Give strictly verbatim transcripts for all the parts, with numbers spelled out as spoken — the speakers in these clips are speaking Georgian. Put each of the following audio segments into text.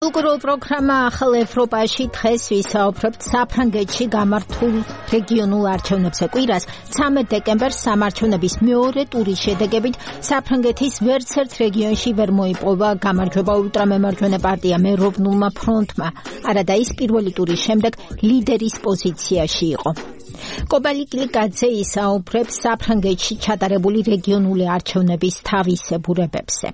კულტურულ პროგრამა ახალ ევროპაში დღეს ვისაუბრებთ საფრანგეთში გამართულ რეგიონულ არჩევნებზე. კვირას ცამეტ დეკემბერს სამარჩევნების მეორე ტურის შედეგებით საფრანგეთის ვერცერთ რეგიონში ვერ მოიპოვა გამარჯვება ულტრამემარჯვენე პარტია მეროვნულმა ფრონტმა. არადა ის პირველი ტურის შემდეგ ლიდერის პოზიციაში იყო. კობალიკლიკაძე ისაუბრებს საფრანგეთში ჩატარებული რეგიონული არჩევნების თავისებურებებზე.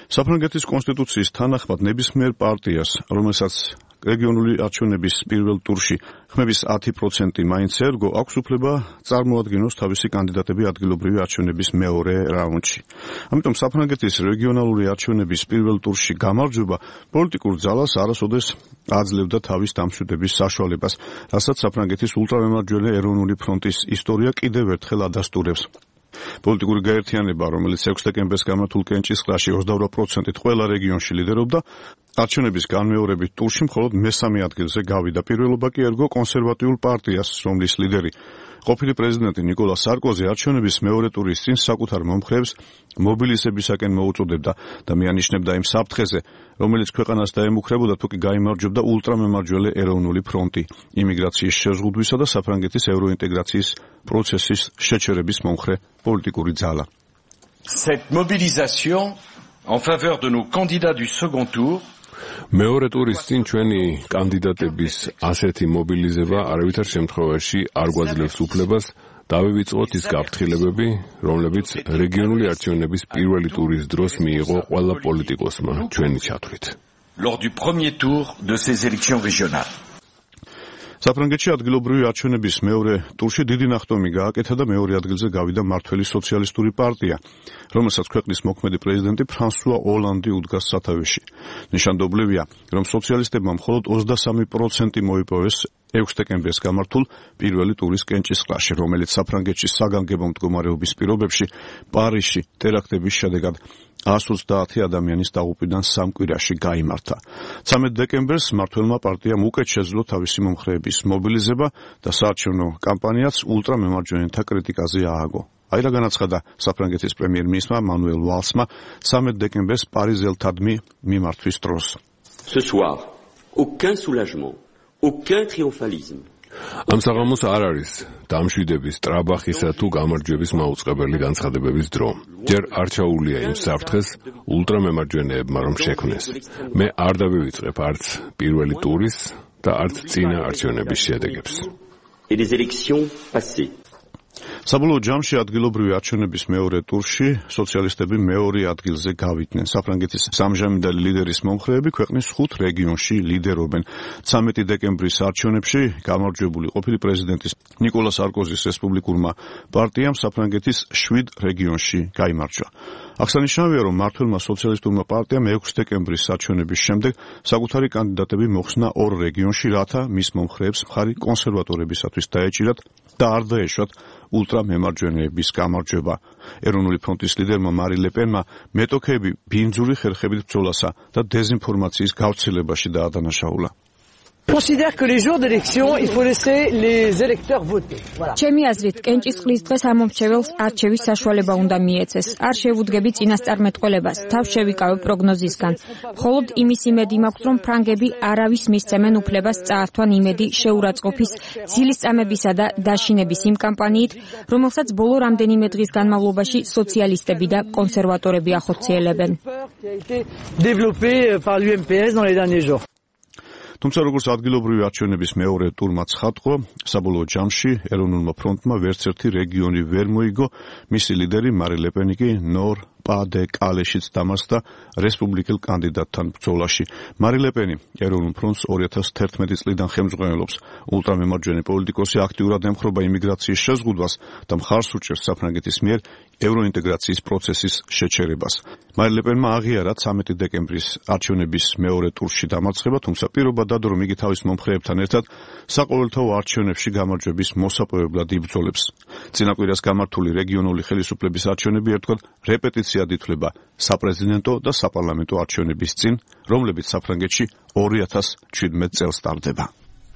საფრანგეთის კონსტიტუციის თანახმად ნებისმიერ პარტიას, რომელსაც რეგიონული არჩევნების პირველ ტურში ხმების ათი პროცენტი მაინც ერგო, აქვს უფლება წარმოადგინოს თავისი კანდიდატები ადგილობრივი არჩევნების მეორე რაუნდში. ამიტომ საფრანგეთის რეგიონალური არჩევნების პირველ ტურში გამარჯვება პოლიტიკურ ძალას არასოდეს აძლევდა თავის დამშვიდების საშუალებას, რასაც საფრანგეთის ულტრამემარჯვენე ეროვნული ფრონტის ისტორია კიდევ ერთხელ ადასტურებს. პოლიტიკური გაერთიანება, რომელიც ექვსი დეკემბერს გამართულ კენჭისყრაში ოცდაორი პროცენტით ყველა რეგიონში ლიდერობდა, არჩევნების განმეორებით ტურში მხოლოდ მესამე ადგილზე გავიდა. პირველობა კი ერგო კონსერვატიულ პარტიას, რომლის ლიდერი ყოფილი პრეზიდენტი ნიკოლა სარკოზი არჩევნების მეორე ტურის წინ საკუთარ მომხრეებს მობილიზებისაკენ მოუწოდებდა და მიანიშნებდა იმ საფრთხეზე, რომელიც ქვეყანას დაემუქრებოდა თუ კი გაიმარჯვებდა ულტრამემარჯვენე ეროვნული ფრონტი, იმიგრაციის შეზღუდვისა და საფრანგეთის ევროინტეგრაციის პროცესის შეჩერების მომხრე პოლიტიკური ძალა. Cette mobilisation en faveur de nos candidats du second tour მეორე ტურის წინ ჩვენი კანდიდატების ასეთი მობილიზება არავითარ შემთხვევაში არ გვაძლევს უფლებას დავივიწყოთ ის გაფრთხილებები, რომლებიც რეგიონული არჩევნების პირველი ტურის დროს მიიღო ყველა პოლიტიკოსმა ჩვენი ჩათვლით. Lors du premier tour de ces élections régionales. საფრანგეთში ადგილობრივი არჩევნების მეორე ტურში დიდი ნახტომი გააკეთა და მეორე ადგილზე გავიდა მმართველი სოციალისტური პარტია, რომელსაც ქვეყნის მოქმედი პრეზიდენტი ფრანსუა ოლანდი უდგას სათავეში. ნიშანდობლივია, რომ სოციალისტებმა მხოლოდ ოცდასამი პროცენტი მოიპოვეს ექვსი დეკემბერს გამართულ პირველი ტურის კენჭისყრაში, რომელიც საფრანგეთში საგანგებო მდგომარეობის პირობებში პარიზში ტერაქტების შედეგად ას ოცდაათი ადამიანის დაღუპვიდან სამ კვირაში გაიმართა. ცამეტ დეკემბერს მმართველმა პარტიამ უკეთ შეძლო თავისი მომხრეების მობილიზება და საარჩევნო კამპანიაც ულტრამემარჯვენეთა კრიტიკაზე ააგო. აი რა განაცხადა საფრანგეთის პრემიერ-მინისტრმა მანუელ ვალსმა ცამეტ დეკემბერს პარიზელთადმი მიმართვის დროს. Ce soir, aucun soulagement, aucun triomphalisme. ამ საღამოს არ არის დამშვიდების, ტრაბახისა თუ გამარჯვების მაუწყებელი განცხადებების დრო. ჯერ არ ჩაულია იმ საფრთხეს ულტრამემარჯვენეებმა რომ შექმნეს. მე არ დავივიწყებ არც პირველი ტურის და არც წინა არჩევნების შედეგებს. Et des élections passées. საბოლოო ჯამში ადგილობრივი არჩევნების მეორე ტურში სოციალისტები მეორე ადგილზე გავიდნენ. საფრანგეთის სამჟამიდალი ლიდერის მომხრეები ქვეყნის ხუთ რეგიონში ლიდერობენ. ცამეტი დეკემბრის არჩევნებში გამარჯვებული ყოფილი პრეზიდენტის ნიკოლა სარკოზის რესპუბლიკურმა პარტიამ საფრანგეთის შვიდ რეგიონში გაიმარჯვა. აღსანიშნავია, რომ მმართველმა სოციალისტურმა პარტიამ ექვსი დეკემბრის არჩევნების შემდეგ საკუთარი კანდიდატები მოხსნა ორ რეგიონში, რათა მის მომხრეებს მხარი კონსერვატორებისათვის დაეჭირათ და არ დაეშვათ ულტრამემარჯვენეების გამარჯვება. ეროვნული ფრონტის ლიდერმა მარი ლეპენმა მეტოქეები ბინძური ხერხებით ბრძოლასა და დეზინფორმაციის გავრცელებაში დაადანაშაულა. considère que les jours d'élection, il faut laisser les électeurs voter. Voilà. ჩემი აზრით, კენჭისყრის დღეს ამომრჩეველს არჩევის საშუალება უნდა მიეცეს. არ შევუდგები წინასწარმეტყველებას, თავს შევიკავე პროგნოზისგან. მხოლოდ იმის იმედი მაქვს, რომ ფრანგები არავის მისცემენ უფლებას წაართვან იმედი შეურაცხყოფის, ძილისწამებისა და დაშინების იმ კამპანიით, რომელსაც ბოლო რამდენიმე დღის განმავლობაში სოციალისტები და კონსერვატორები ახორციელებენ. développé par l'U M P S dans les derniers jours. თუმცა როგორც ადგილობრივი არჩევნების მეორე ტურმა ცხადყო, საბოლოო ჯამში ეროვნულმა ფრონტმა ვერცერთი რეგიონი ვერ მოიგო, მისი ლიდერი მარი ლეპენი კი ნორ პა დე კალეშიც დამარცხდა რესპუბლიკელ კანდიდატთან ბრძოლაში. მარი ლეპენი ეროვნულ ფრონტს ორი ათას თერთმეტი წლიდან ხელმძღვანელობს. ულტრამემარჯვენე პოლიტიკოსი აქტიურად ემხრობა იმიგრაციის შეზღუდვას და მხარს უჭერს საფრანგეთის მიერ ევროინტეგრაციის პროცესის შეჩერებას. მარი ლეპენმა აღიარა ცამეტი დეკემბრის არჩევნების მეორე ტურში დამარცხება, თუმცა პირობა დადო, რომ იგი თავის მომხრეებთან ერთად საყოველთაო არჩევნებში გამარჯვების მოსაპოვებლად იბრძოლებს. წინა კვირას გამართული რეგიონული ხელისუფლების არჩევნები ერთგვარ რეპეტიციად ითვლება საპრეზიდენტო და საპარლამენტო არჩევნების წინ, რომლებიც საფრანგეთში ორი ათას ჩვიდმეტ წელს ტარდება.